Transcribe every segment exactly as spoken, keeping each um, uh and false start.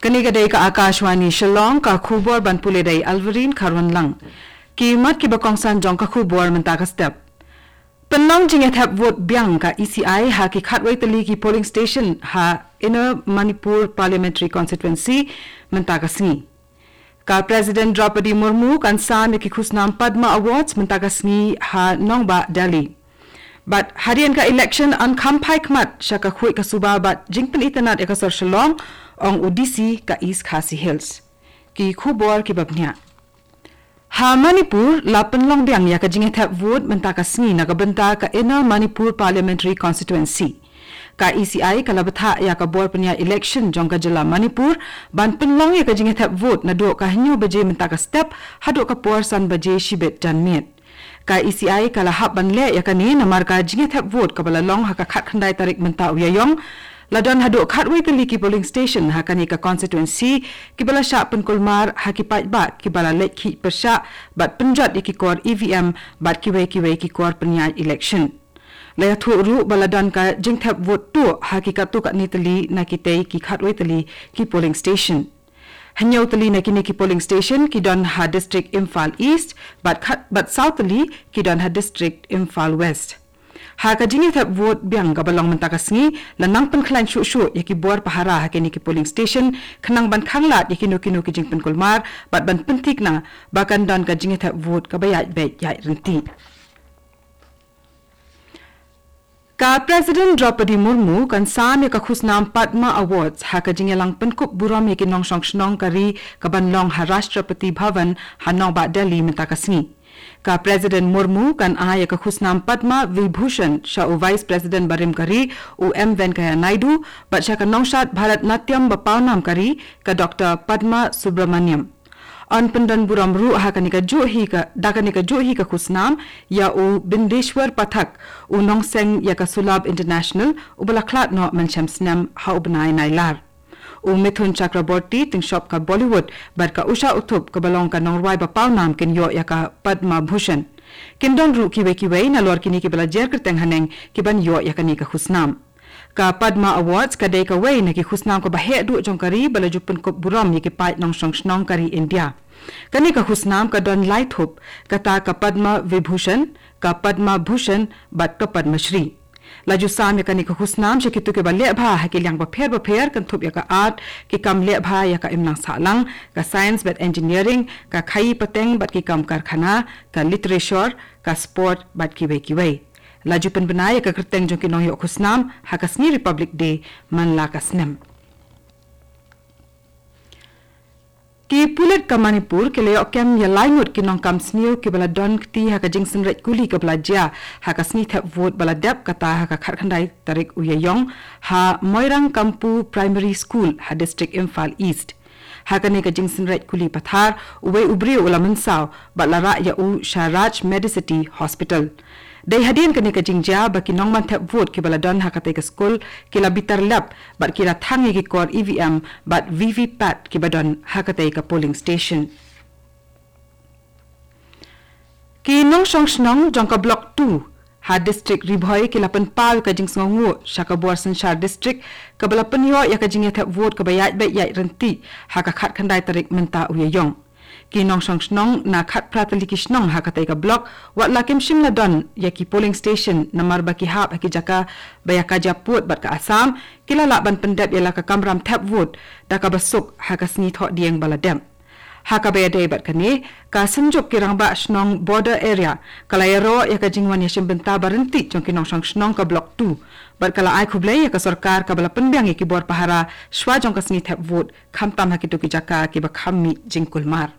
Kane ka dei ka Akashvani Shillong, ka khubor ban pule da i Alverine Kharwanlang. Ki mat kiba kongsan jong ka khubor mynta ka step. Pynlong jingïathep vote biang ka E C I ha ki khatwei tylli ki polling station ha Inner Manipur Parliamentary Constituency mynta ka sngi. Ka President Droupadi Murmu kan sam ïa ki khusnam Padma Awards mynta ka sngi ha nongbah Delhi. Bad hadien ka election yn kham phai khmat sha ka khuid ka suba bad jingpynitynnad ïa ka sor Shillong, ong u D C ka East Khasi Hills. Ki khubor kiba bniah. Ha Manipur la pynlong biang ïa ka jingïathep vote mynta ka sngi na ka bynta ka Inner Manipur Parliamentary Constituency. Ka E C I ka la bthah ïa ka bor pynïaid election jong ka jylla Manipur ban pynlong ïa ka jingïathep vote naduh ka hynñiew baje mynta ka step haduh ka por san baje shibit janmiet. Ka E C I ka la hap ban leh ïa kane namar ka jingïathep vote kaba la long ha ka khatkhyndai tarik mynta u Ïaïong la don haduh khatwei tylli ki polling station ha kane ka constituency kiba la shah pynkulmar ha ki paidbah kiba la leit khih pyrshah bad pynjot ïa ki kor E V M bad kiwei kiwei ki kor pynïaid election. La ïathuh ruh ba la don ka jingthep vote tuh ha ki katto katne tylli na kitei ki khatwei tylli ki polling station. Hynñiew tylli na kine ki polling station ki don ha district Imphal East bad khat bad saw tylli ki don ha district Imphal West. Ha ka jingïathep vote biang kaba long mynta ka sngi la nang pynkhlaiñ shuh shuh ïa ki bor pahara ha kine ki polling station khnang ban khanglad ïa kino kino ki jingpynkulmar bad ban pynthikna ba kan don ka jingïathep vote kaba ïaid beit ïaid ryntih. Ka President Droupadi Murmu kan sam ïa ka khusnam Padma Awards ha ka jingïalang pynkup burom ïa ki nongshong shnong ka ri kaban long ha Rashtrapati Bhavan ha nongbah Delhi mynta ka sngi. Ka President Murmu kan ai ïa ka khusnam Padma Vibhushan sha u Vice President barim ka ri u M Venkaiah Naidu bad sha ka nongshad Bharatanatyam ba pawnam ka ri ka Doctor Padma Subramaniam. Yn pyndon burom ruh ha kane ka juh hi ka, da kane ka juh hi ka khusnam ïa u Bindeshwar Pathak, u nongseng ïa ka Sulabh International, uba la khlad noh mynshem snem ha u bnai Nailar. U Mithun Chakraborty, tyngshop ka Bollywood, bad ka Usha Uthup kaba long ka nongrwai ba pawnam kin ïoh ïa ka Padma Bhushan. Kin don ruh kiwei kiwei nalor kine kiba la jer kyrteng haneng kiban ïoh ïa kane ka khusnam. Ka Padma Awards ka dei kawei na ki khusnam kaba heh duh jong ka ri ba la ju pynkup burom ïa ki paid nongshong shnong ka ri India. Kane ka khusnam ka don lai thup, kata ka Padma Vibhushan, ka Padma Bhushan bad ka Padma Shri. La ju sam ïa kane ka khusnam sha kito kiba leh bha ha ki liang bapher bapher, kynthup ïa ka art, ki kam leh bha ïa ka imlang sahlang, ka science bad engineering, ka khaii pateng bad ki kam karkhana, ka literature, ka sport bad kiwei kiwei. La ju pynbna ïa ka kyrteng jong ki nongïoh khusnam ha ka sngi Republic Day man la ka snem. Ki pulit ka Manipur ki la ïoh kem ïa lai ngut ki nongkam sniew kiba la don kti ha ka jingsynreit kuli kaba la jia ha ka sngi thep vote ba la dep kata ha ka khatkhyndai tarik u Ïaïong ha Moirang Kampu Primary School ha District Imphal East. Ha kane ka jingsynreit kuli pathar, uwei u briew u la mynsaw bad la rah ïa u sha Raj Medicity Hospital. Dei hadien kane ka jingjia ba ki nongman thep vote kiba la don ha katei ka skul ki la bitar lep bad ki la thang ïa ki kor E V M bad V V P A T kiba don ha katei ka polling station. Ki nongshong shnong jong ka Block two ha District Ri Bhoi ki la pynpaw ïa ka jingsngewnguh sha ka bor synshar district kaba la pynïoh ïa ka jingïathep vote kaba ïaid beit ïaid ryntih ha ka khatkhyndai tarik mynta u Ïaïong. Ki nongshong shnong na khatphra tylli ki shnong ha katei ka block, wat la kim shym la don ïa ki polling station namar ba ki hap ha ki jaka ba ïa ka Jaipur bad ka Assam, ki la lah ban pyndep ïa la ka kamram thep vote da kaba suk ha ka sngi Thohdieng ba la dep. Ha kaba ïadei bad kane, ka Synjuk ki Rangbah Shnong Border Area ka la ïaroh ïa ka jingwan ïashim bynta ba ryntih jong ki nongshong shnong ka Block two bad ka la ai khublei ïa ka sorkar kaba la pynbiang ïa ki bor pahara shwa jong ka sngi thep vote, khamtam ha kito ki jaka kiba kham mih jingkulmar.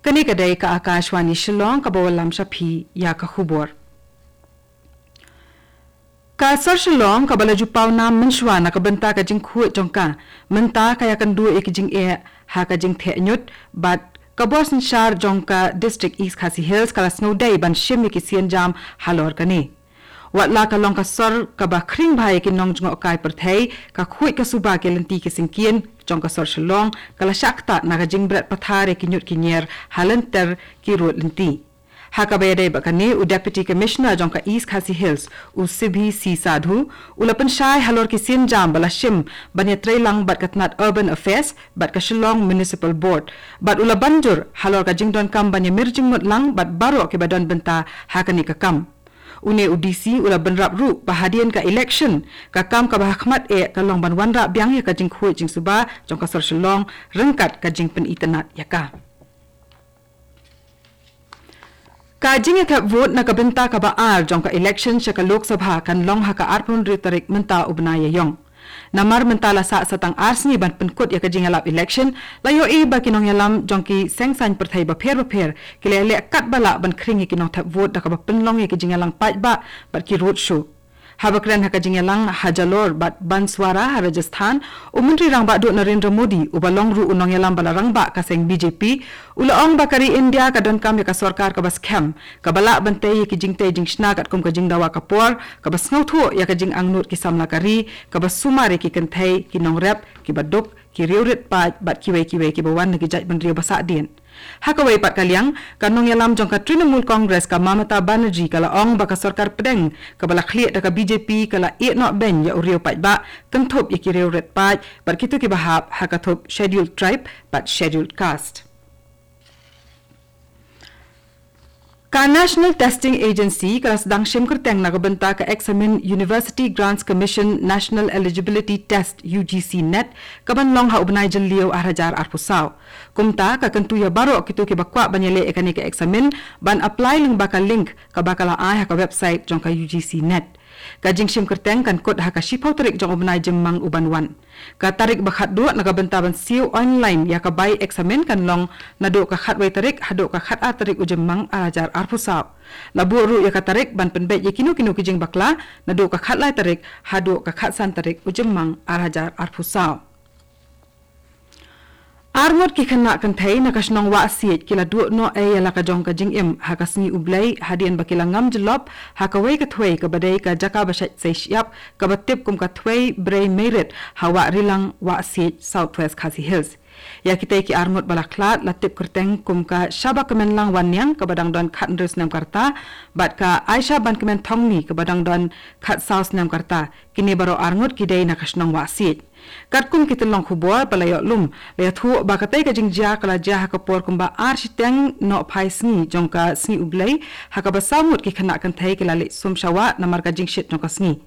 Kane ka dei ka Akashvani Shillong kaba wallam sha phi ïa ka khubor. Ka sor Shillong kaba la ju paw nam mynshwa na ka bynta ka jingkhuid jong ka, mynta ka ïakynduh ïa ki jingeh ha ka jingtheh ñiut bad ka bor synshar jong ka District East Khasi Hills ka la sngewdei ban shim ïa ki sienjam halor kane. Wat la ka long ka sor kaba khring bha ïa ki nongjngohkai pyrthei, ka khuid ka suba ki lynti ki syngkien jong ka sor Shillong ka la shah ktah na ka jingbret pathar ïa ki ñiut ki ñier ha lynter ki rud lynti. Ha kaba ïadei bad kane, u Deputy Commissioner jong ka East Khasi Hills, u Sibhi C Sadhu, u la pynshai halor ki sienjam ba la shim ban ïatreilang bad ka tnat Urban Affairs bad ka Shillong Municipal Board, bad u la banjur halor ka jingdonkam ban ïamir jingmut lang bad baroh kiba don bynta ha kane ka kam. Une u D C u la bynrap ruh ba hadien ka election, ka kam kaba hakhmat eh ka long ban wanrah biang ïa ka jingkhuid jingsuba jong ka sor Shillong ryngkat ka jingpynitynnad ïa ka. Ka jingïathep vote na ka bynta kaba ar jong ka election sha ka Lok Sabha kan long ha ka arphew hynriew tarik mynta u bnai Ïaïong. Namar mynta la sah sa tang ar sngi ban pynkut ïa ka jingïalap election, la ïohi ba ki nongïalam jong ki seng saiñ pyrthei bapher bapher ki la leh katba lah ban khring ïa ki nongthep vote da kaba pynlong ïa ki jingïalang paidbah bad ki road show. Haba kren ha ka jingïalang ha Jalore bad Banswara ha Rajasthan, u Myntri Rangbah Duh Narendra Modi, uba long ruh u nongïalam ba la rangbah ka seng B J P, u la ong ba ka ri India ka donkam ïa ka sorkar kaba skhem, kaba lah ban tei ïa ki jingtei jingshna katkum ka jingdawa ka por, kaba sngewthuh ïa ka jingangnud ki samla ka ri, kaba sumar ïa ki kynthei, ki nongrep, kiba duk, ki riewrit paid bad kiwei kiwei kiba wan na ki jaitbynriew ba sahdien. Ha kawei pat ka liang, ka nongïalam jong ka Trinamool Congress ka Mamata Banerjee ka la ong ba ka sorkar pdeng kaba la khlieh da ka B J P ka la ïeh noh beiñ ïa u riew paidbah, kynthup ïa ki riewrit paid bad kito kiba hap ha ka thup Scheduled Tribe bad Scheduled Caste. Ka National Testing Agency ka la sdang shim kyrteng na ka bynta ka eksamin University Grants Commission National Eligibility Test, U G C NET, kaban long ha u bnai Jylliew ar hajar arphew saw. Kumta ka kyntu ïa baroh kito kiba kwah ban ïaleh ïa kane ka eksamin ban apply lyngba ka link kaba ka la ai ha ka website jong ka U G C NET. Ka jingshim kyrteng kan kut ha ka shiphew tarik jong u bnai Jymmang uban wan. Ka tarik ba khatduh na ka bynta ban siew online ïa ka bai eksamin kan long naduh ka khatwei tarik haduh ka khatar tarik u Jymmang ar hajar arphew saw. La buh ruh ïa ka tarik ban pynbeit ïa kino kino ki jingbakla naduh ka khatlai tarik haduh ka khatsan tarik u Jymmang ar hajar arphew saw. Arngut ki khynnah kynthei na ka shnong Wahsiej ki la duh noh ei ïa la ka jong ka jingim ha ka sngi U Blei hadien ba ki la ngam jyllop ha kawei ka thwei kaba dei ka jaka ba shait sei shyiap kaba tip kum ka Thwei Brei Meirit ha Wah Rilang, Wahsiej, South West Khasi Hills. Ïa kitei ki arngut ba la khlad la tip kyrteng kum ka Shabakmenlang Wanniang kaba dang don khathynriew snem ka rta bad ka Aisha Bankmen Thongni kaba dang don khatsaw snem ka rta. Kine baroh arngut ki dei na ka shnong Wahsiej. Katkum ki tyllong khubor ba la ïoh lum, la ïathuh ba katei ka jingjia ka la jia ha ka por kumba ar shiteng nohphai sngi jong ka sngi U Blei, ha kaba saw ngut ki khynnah kynthei ki la leit sum sha wah namar ka jingshit jong ka sngi.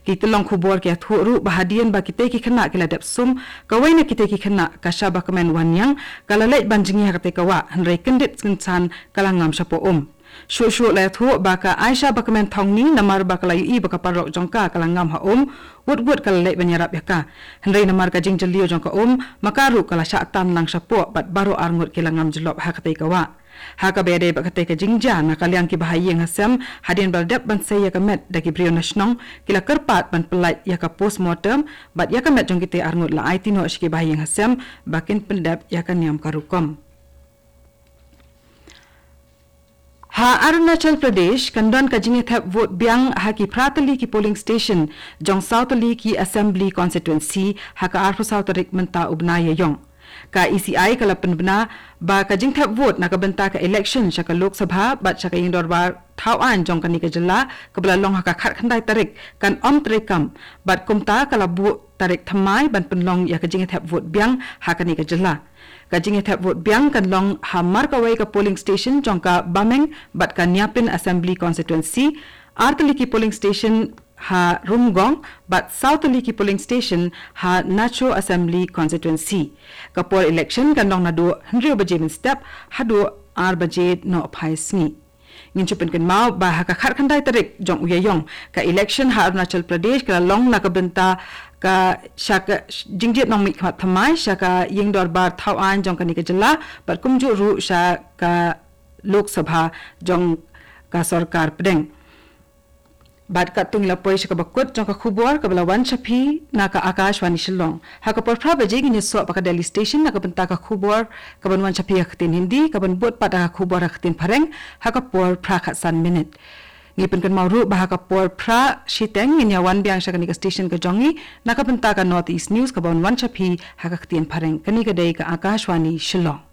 Ki tyllong khubor ki ïathuh ruh ba hadien ba kitei ki khynnah ki la dep sum, kawei na kitei ki khynnah, ka Shabakmen Wanniang, ka la leit ban jngi ha katei ka wah, hynrei kyndit kynsan ka la ngam shapoh um. Shuh shuh la ïathuh ba ka Aisha Bakmen Thongni, namar ba ka la ïohi ba ka paralok jong ka ka la ngam ha um, wut wut ka la leit ban ïarap ïa ka. Hynrei namar ka jingjylliew jong ka um, ma ka ruh ka la shah tan lang shapoh bad baroh arngut ki la ngam jyllop ha katei ka wah. Ha kaba ïadei bad katei ka jingjia, na ka liang ki bahaïing hasem, hadien ba la dep ban sei ïa ka met da ki briew na shnong, ki la kyrpad ban pyllait ïa ka postmortem bad ïa ka met jong kitei arngut la aiti noh sha ki bahaïing hasem ba kin pyndep ïa ka niam ka rukom. Ha Arunachal Pradesh kan don ka jingïathep vote biang ha ki phra tylli ki polling station jong saw tylli ki assembly constituency ha ka arphew saw tarik mynta u bnai Ïaïong. Ka E C I ka la pynbna ba ka jingthep vote na ka bynta ka election sha ka Lok Sabha bad sha ka Ïingdorbar Thawaiñ jong kane ka jylla, kaba la long ha ka khatkhyndai tarik, kan ym treikam bad kumta ka la buh tarik thymmai ban pynlong ïa ka jingïathep vote biang ha kane ka jylla. Ka jingïathep vote biang kan long ha mar kawei ka polling station jong ka Bameng bad ka Nyapin Assembly Constituency, ar tylli ki polling station ha Rumgong bad saw tylli ki polling station ha Nacho Assembly Constituency. Ka por election kan long naduh hynriew baje mynstep haduh ar baje nohphai sngi. Ngin shu pynkynmaw ba ha ka khatkhyndai tarik jong u Ïaïong, ka election ha Arunachal Pradesh ka la long na ka bynta ka sha ka jingjied nongmihkhmat thymmai sha ka Ïingdorbar Thawaiñ jong kane ka jylla bad kumjuh ruh sha ka Lok Sabha jong ka sorkar pdeng. Bad katto ngi la poi sha kaba kut jong ka khubor kaba la wan sha phi na ka Akashvani Shillong. Ha ka por phra baje ngin ïasoh bad ka Delhi Station na ka bynta ka khubor kaban wan sha phi ha ka ktien Hindi, kaban bud pat da ka khubor ha ka ktien Phareng ha ka por phra khatsan minit. Ngi pynkynmaw ruh ba ha ka por phra shiteng ngin ïa wan biang sha kane ka station ka jong ngi na ka bynta ka North East News kaban wan sha phi ha ka ktien Phareng. Kane ka dei ka Akashvani Shillong.